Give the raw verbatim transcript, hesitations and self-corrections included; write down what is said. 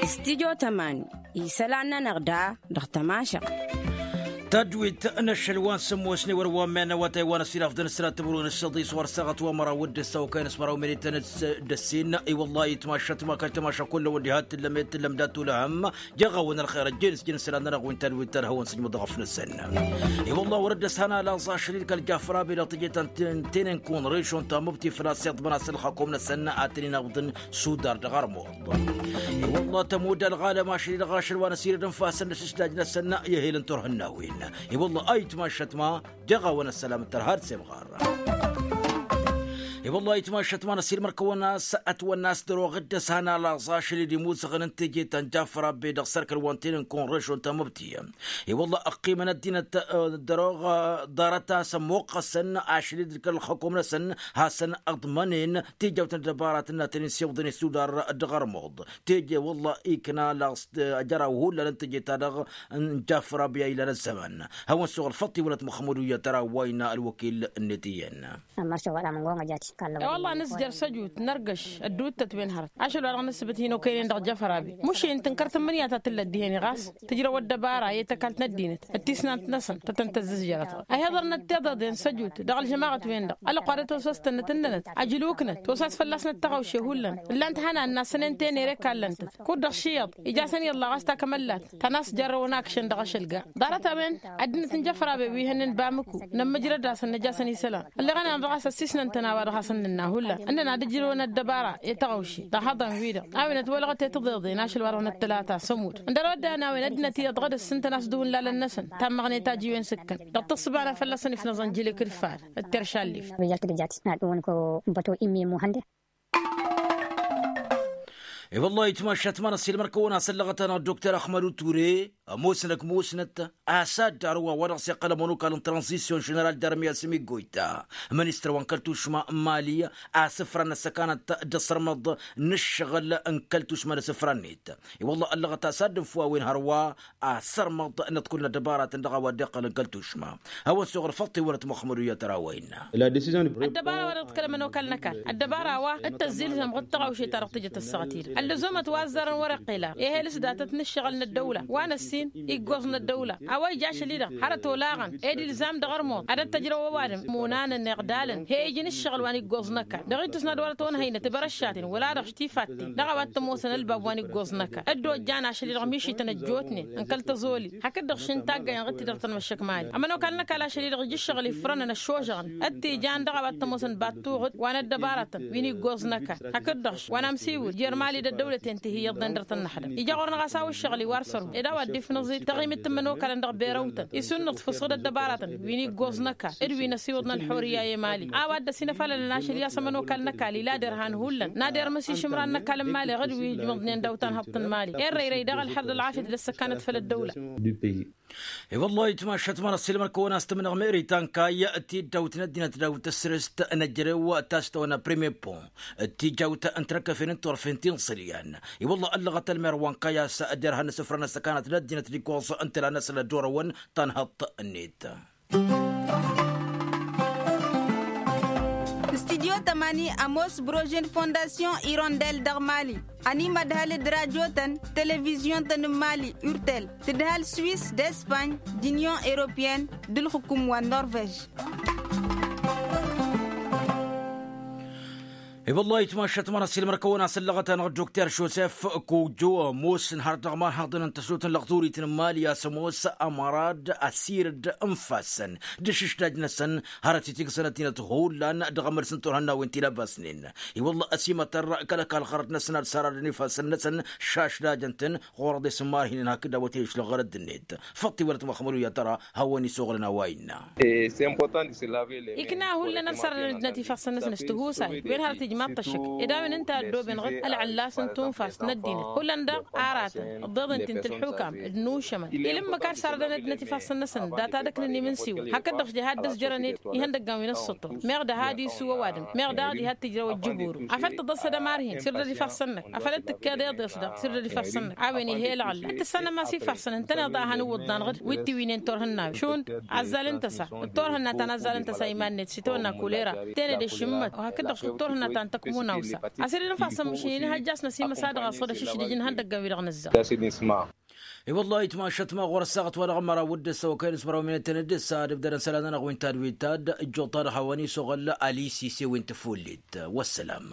Stidyo tămani isălan-nănăɣ da dăɣ-tămašăɣt. Tadwit n-ašăl wa n-sǝmmosne wăr wa n-mennăwătay wa n-asiraf d-anǝsrat timǝrwen s-săḍis wăr săɣăt wa măraw d-ăssawăkay n-asmăraw minităn d-ăssin. I-wăllah itmašăt ma kăl-tamaša kullăn wăr diha t-tǝllăm i-tǝllăm dat-ulăhăm. Jăɣ-awăn ălxer ăjjeen s-jăn isălan-nănăɣ wi n-tadwit tărhăwăn s-ijmǝḍ ɣăf-năsăn. I-wăllah wăr dd-ăshăn ala ẓašăl-i d-kăl-jafăr abi dăɣ-tejăt ta n-tenen kunrešon ta măbti făl-a-s iḍmăn-as ălxakum n-asăn a tăn-in-ăbḍǝn sudar dăɣ-armuḍ. I-wălla tămudda ălɣalăm ašăl-i-dăɣ ašăl wa n-asirăd n-fasăn d-asǝsdaj-năsăn i-ehel n-turhǝnnawen. I-wălla a itmašăt ma jăɣ-awăn ăssălam d-tărha d-semɣar. I-wălla itmašăt ma n-asirmăr kăwăn-as ătwănna a-s dăr-oɣ dd-ăshăn ala ẓašăl-i d-imuzăɣăn n-teje ta n-jafăr abbe dăɣ-sărkăl wa n-tenen kunrešon ta măbti. I-wălla ăqqimăn ăddinăt dăr-oɣ ḍarăt-as ămmuqqăsăn ašăl-i d-kăl-ălxăkum-năsăn hasăn-ăḍmănen tijawt n-ăddăbarat n-ad-tăn-in-siwḍăn isudar dăɣ-armuḍ. Teje wălla ikna laɣ s-ajăraw hullan n-teje-ta-dăɣ n-jafăr abya ilan ăzzăman. Hawăn-suɣ ălfăṭṭ iwălăt măxmud uyya-t ara wa innă ălwăkil-net iyyăn. E-wălla nǝzjăr săjut nărgăš ădduuttăt-wen hărăt ašăl-wa-dăɣ nǝsbǝt hin-okăynen dăɣ-jăfărabi mušin tǝnkăr tǝmmǝnǝya ta tǝllăt dihen-i ɣas tǝjrăw ăddăbara i-tăkalt n-ăddinăt d-tisnant-năsăn tăt-tăn-tăzzǝzjărăt. Ăhiḍărnăt tiḍeḍen săjut dăɣ-ălžămaɣăt-wen-dăɣ ălăqwa d-ătosăstănnăt ǝnnănăt ajǝluknăt tosas fălla-snăt tăɣawše hullan ǝllan-t hănan n-asănen tenere kallăn-tăt kud-dăɣ šiyyăḍ ija-săn iyyăḍ laɣas takămăllat ta n-a-s jarrăwăn akšăn dăɣ-ašăl gar ḍarăt-a-wen ăddinăt n-jăfărabe wi hănnen bamǝku nămmǝjrăd-asăn năj'-asăn isălan ălleɣăn-anăɣ dăɣ-a-s ăssisnăn-tăn a-wa dăɣ-hasăn-nǝnna hullan ǝnnăn ad-ǝjrǝwăn ăddăbara i-tăɣawše dăɣ-ihăḍan-wi-dăɣ a-wen ătwălăɣăt i-tiḍeḍen ašăl wa dăɣ-năttălata s-ămudd ǝndăr wădden a-wen ăddinăt iyyăḍ ɣǝd-s ǝntăn a-s dăɣ-wǝllalăn-năsăn tammăɣnet a iji-wen s-ǝkkăn dăɣ-tǝssǝba n-afăl-năsăn ifnăẓăn jilǝk d-fad d-teršalleft. I-wăllah itmašat ma n-ăssiilmăr-kăwăn-asăllăɣăt-anăɣ dokter ahmădu ture ămoosnăk musnăt a-s ad-dd-arǝw a-wa dăɣ-s iqqăl ămănokal n-tranzisyon ženeral d-armiyas mi goyta ministăr wa n-kăl-tušma n-mali. Asǝfran n-ăssăkanăt d-asărmăḍ n-ǝššăɣǝl n-kăl-tušma n-asǝfran-net. I-wăllah ăllăɣăt a-s ad-dd-ǝnfu a-wen hărwa asărmăḍ n-ad-kull n-ăddăbaratăn dăɣ-a-wa dd-iqqălăn kăl-tušma. Hawăn-suɣ ărfăḍ tiwălăt măxmăd u-iyyăt ărawăyna. Ăddăbara wa dăɣ-t kăl-ămănokal n-ăkall ăddăbara wa d-tăzzilzăm ɣǝd tăɣawše-ta-dăɣ tǝjăt ăssaɣăt-i-dăɣ ăllăzomăt wa ăzzarăn wăr-iqqel a ehel s-datăt n-ǝššăɣǝl n-ăddăwla wa n-ăssin iggoẓ n-ăddăwla a-wa ija ašăl-i-dăɣ hărăt olaɣăn ed ilzam dăɣ-ărmuḍ ad-ăttăjrăw ăwadǝm imunanăn iɣdalăn he-ijăn ǝššăɣǝl wa n-iggoẓ n-ăkall dăɣ-ittus n-ad-wăr-ătwănhăynăt bărăššaten wăla-dăɣ tifatten dăɣ-a-wa t-ămoosăn ălbab wa n-iggoẓ n-ăkall ăddoojjan ašăl-i-dăɣ mišităn ăjjootnen n-kăl-tăẓoli hakd-dăɣ šin taggayăn ɣǝd-t-dăɣ tăn-măššăk mali ămănokal n-ăkall ašăl-i-dăɣ ija ǝššăɣǝl ifrănăn ăššožăɣăn ăttijăn dăɣ-a-wa t-ămoosăn battuɣǝd wa n-ăddăbarătăn wi n-iggoẓ n-ăkall hakd-dăɣ wa n-amsiwǝl jer-mali d-ăddăwlăten ti hi-iyyăḍnen dăr-tăn-năxdăm ija ɣur-năɣ a-s a-wa ǝššăɣǝl-i wa ărsărhu ed a-wa dd-ifnǝẓ-dd taɣimit n-imănokalăn dăɣ-berăwtăn isunnǝḍ fǝsɣǝd ăddăbarătăn wi n-iggoẓ n-ăkall d-wi n-ăsiwǝḍ n-ălḥurǝyya i-mali a-wa dd-ăsinăfalălăn ašăl i-a-s ămănokal n-ăkall ila derhan hullan n-ad-irmǝs išǝmran n-ăkall n-mali ɣǝd wi ǝjmăḍnen daw-tanhăḍt n-mali irrăyrăy daɣ ălxer d-ălɣafyăt d-ăssăkanăt făll-ăddăwla. I-wăllah itmašat ma n-ăssiilmăr-kăwăn a-s tǝmnăɣ meri tankay tiddawt n-ăddinăt daw-tăsrest n-ăjrew ta s-tăwănna premier pont d-tijawt n-tinăkkăfen n-turfen ti n-iṣǝlyan. I-wăllah ăllăɣăt ălmer wa n-kayas derhan n-asǝfra n-ăssăkanăt n-ăddinăt d-iggoẓ n-tǝla-năsăn ăddorăwăn tanhăḍt-net. Studyo tămani ămoos brožen fondasyon irondel dăɣ-mali ănimădhăl d-rajotăn televizyon-tăn n-mali urtel tǝdhăl swis d-espany d-inyon europyen d-ǝlxǝkum wa n-norvej. I-wăllah itmašat ma n-ăssiilmăr-kăwăn a-s ăllăɣăt-anăɣ dokter josef kojo ămoosăn har dăɣ-imarhaḍăn n-tăsut n-lăɣturit n-mali a-s ămoos ămărad ăsirăd n-ifassăn d-ašǝšdaj-năsăn hărăt itigǝsăn ăddinăt hullan dăɣ-emăls n-turhănnawen ti labasnen. I-wăllah ăsimătăr kăl-ăkall ɣărăt-năsăn ad-sărarăn ifassăn-năsăn šašdajăn-tăn ɣur-ăḍes n-imarhinen hakd a-wa t-ijăšlăɣ ɣărăt-net. Făṭṭ iwălăt măxmăd u-iyyăt tăra hawăn-isuɣǝlăn a-wa innă. Ikna hullan ad-sărrăn ăddinăt ifassăn-năsăn s-tihusay wen hărăt ijmaḍ-t ăššăk ed a-wen ǝnta ăddooben ɣǝd ălɣăllas n-tunfast n-ăddinăt hullan daɣ aratăn ǝḍḍeḍ ǝnta-i n-tǝlḥukam d-inušămăn ila ǝmmǝk ad-sărrădăn ăddinăt ifassăn-năsăn data d-ăknăn imǝnsiwăn hakd-dăɣ s-diha dd-ăzjărăn-dd ihăndăggan wi n-ǝssǝṭṭur meɣ dăha d-isu ăwadǝm meɣ daɣ diha t-tǝjrăw ăjjǝburu afăl tǝḍăs ad-ămarhin s-irdăd ifassăn-năk afăl dd-tǝkkeḍ eḍes-dăɣ s-irdăd ifassăn-năk a-wen ih'-e ălɣălla ad-tǝssanăm a-s ifassăn ǝntăneḍ a han-iwǝḍḍan ɣǝd wi t-iwǝynen turhǝnnawen šund azzal n-tăsa d-turhǝnna ta n-azzal n-tăsa iman-net s-itawănna kulera tenăde šǝmmăt wa hakd-dăɣ šund turhǝnna ta. N-tăkmunawsa a-s ed inǝfasăn măšin inihăjjas n-ăsimăsa dăɣ-a-s wăr-ăššǝšdǝj inhăndăggăn-wi-dăɣ nǝzzar. I-wălla itmašăt ma ɣur-ăssaɣăt wa dăɣ-măraw d-ǝssa wa kăyăn-s măraw minăt tăn-dd-ǝssa ad-ǝbdădăn isălan-nănăɣ wi n-tad wi n-tad ǝjjuḍ-ta-dăɣ hawăn-isoɣăl. Alisi s-e-wi n-tăfullit. Wăssălam.